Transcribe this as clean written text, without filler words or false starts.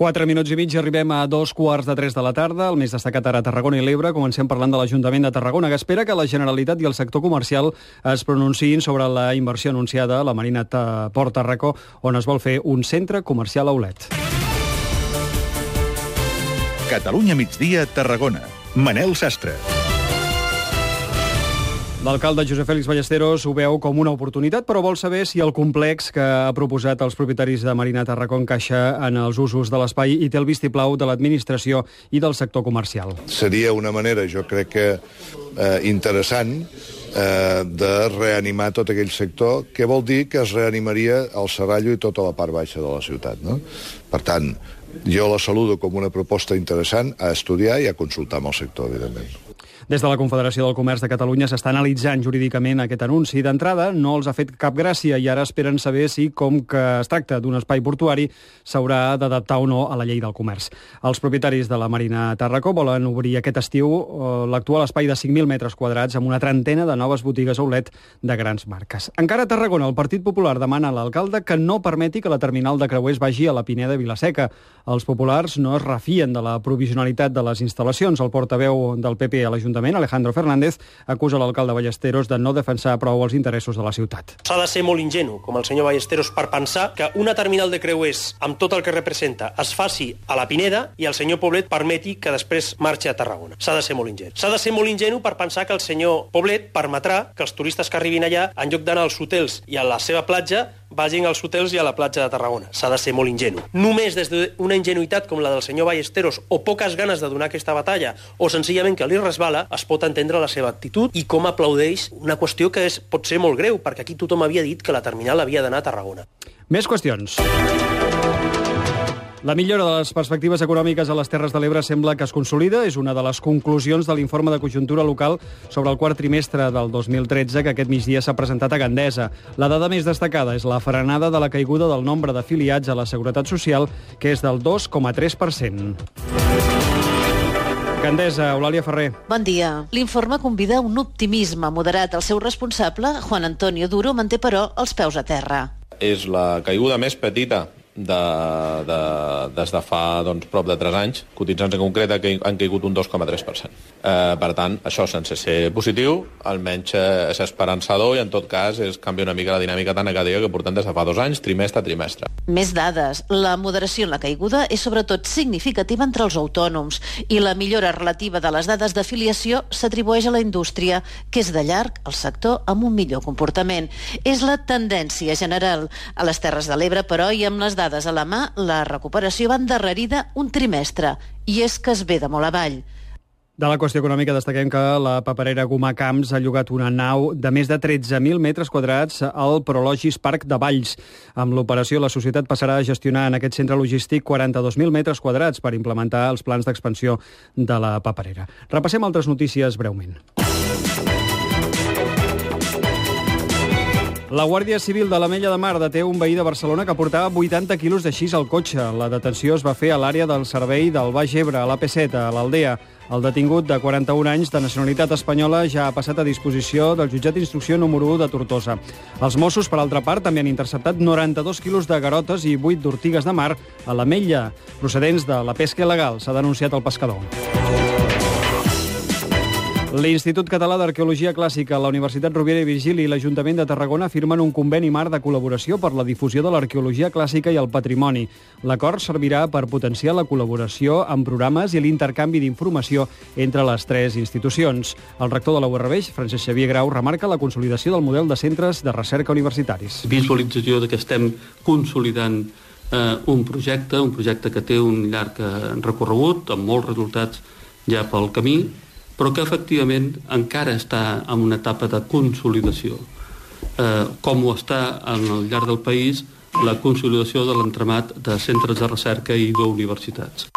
4 minuts i mig i arribem a 2:15 de la tarda. El més destacat ara a Tarragona i l'Ebre. Comencem parlant de l'Ajuntament de Tarragona, que espera que la Generalitat i el sector comercial es pronunciïn sobre la inversió anunciada a la Marina Port Tarracó, on es vol fer un centre comercial outlet. Catalunya migdia, Tarragona. Manel Sastre. L'alcalde Josep Fèlix Ballesteros ho veu com una oportunitat, però vol saber si el complex que ha proposat als propietaris de Marina Tarracó encaixa en els usos de l'espai i té el vistiplau de l'administració i del sector comercial. Seria una manera, jo crec que interessant, de reanimar tot aquell sector, que vol dir que es reanimaria el Serrallo i tota la part baixa de la ciutat, no? Per tant, jo la saludo com una proposta interessant a estudiar i a consultar amb el sector, evidentment. Des de la Confederació del Comerç de Catalunya s'està analitzant jurídicament aquest anunci. D'entrada, no els ha fet cap gràcia i ara esperen saber si, com que es tracta d'un espai portuari, s'haurà d'adaptar o no a la llei del comerç. Els propietaris de la Marina Tarracó volen obrir aquest estiu l'actual espai de 5.000 metres quadrats amb una trentena de noves botigues outlet de grans marques. Encara a Tarragona, el Partit Popular demana a l'alcalde que no permeti que la terminal de creuers vagi a la Pineda Vilaseca. Els populars no es refien de la provisionalitat de les instal·lacions. El portaveu del PP a l'Ajuntament, Alejandro Fernández, acusa l'alcalde Ballesteros de no defensar prou els interessos de la ciutat. S'ha de ser molt ingenu, com el senyor Ballesteros, per pensar que una terminal de creuers amb tot el que representa es faci a la Pineda i el senyor Poblet permeti que després marxi a Tarragona. S'ha de ser molt ingenu. S'ha de ser molt ingenu per pensar que el senyor Poblet permetrà que els turistes que arribin allà, en lloc d'anar als hotels i a la seva platja, vagin als hotels i a la platja de Tarragona. S'ha de ser molt ingenu. Només des d'una ingenuïtat com la del senyor Ballesteros o poques ganes de donar aquesta batalla o senzillament que li resbala, es pot entendre la seva actitud i com aplaudeix una qüestió que pot ser molt greu, perquè aquí tothom havia dit que la terminal havia d'anar a Tarragona. Més qüestions. La millora de les perspectives econòmiques a les Terres de l'Ebre sembla que es consolida. És una de les conclusions de l'informe de conjuntura local sobre el quart trimestre del 2013 que aquest migdia s'ha presentat a Gandesa. La dada més destacada és la frenada de la caiguda del nombre d'afiliats a la Seguretat Social, que és del 2,3%. Gandesa, Eulàlia Ferrer. Bon dia. L'informe convida a un optimisme moderat. El seu responsable, Juan Antonio Duro, manté, però, els peus a terra. És la caiguda més petita des de fa prop de 3 anys. Cotitzants en concret han caigut un 2,3%. Per tant, això sense ser positiu, almenys és esperançador i en tot cas canvia una mica la dinàmica tan negativa que portem des de fa 2 anys, trimestre a trimestre. Més dades. La moderació en la caiguda és sobretot significativa entre els autònoms i la millora relativa de les dades d'afiliació s'atribueix a la indústria, que és de llarg el sector amb un millor comportament. És la tendència general. A les Terres de l'Ebre, però, i amb les dades a la mà, la recuperació va endarrerida un trimestre, i és que es ve de molt avall. De la qüestió econòmica destaquem que la paperera Gomà Camps ha llogat una nau de més de 13.000 metres quadrats al Prologis Parc de Valls. Amb l'operació, la societat passarà a gestionar en aquest centre logístic 42.000 metres quadrats per implementar els plans d'expansió de la paperera. Repassem altres notícies breument. La Guàrdia Civil de l'Ametlla de Mar deté un veí de Barcelona que portava 80 quilos de xis al cotxe. La detenció es va fer a l'àrea del servei del Baix Ebre, a l'AP7, a l'Aldea. El detingut, de 41 anys, de nacionalitat espanyola, ja ha passat a disposició del jutjat d'instrucció número 1 de Tortosa. Els Mossos, per altra part, també han interceptat 92 quilos de garotes i 8 d'ortigues de mar a l'Ametlla, procedents de la pesca il·legal, s'ha denunciat el pescador. L'Institut Català d'Arqueologia Clàssica, la Universitat Rovira i Virgili i l'Ajuntament de Tarragona firmen un conveni marc de col·laboració per la difusió de l'arqueologia clàssica i el patrimoni. L'acord servirà per potenciar la col·laboració en programes i l'intercanvi d'informació entre les 3 institucions. El rector de la URB, Francesc Xavier Grau, remarca la consolidació del model de centres de recerca universitaris. Visualització que estem consolidant un projecte que té un llarg recorregut, amb molts resultats ja pel camí, però que efectivament encara està en una etapa de consolidació, com ho està al llarg del país la consolidació de l'entramat de centres de recerca i d'universitats.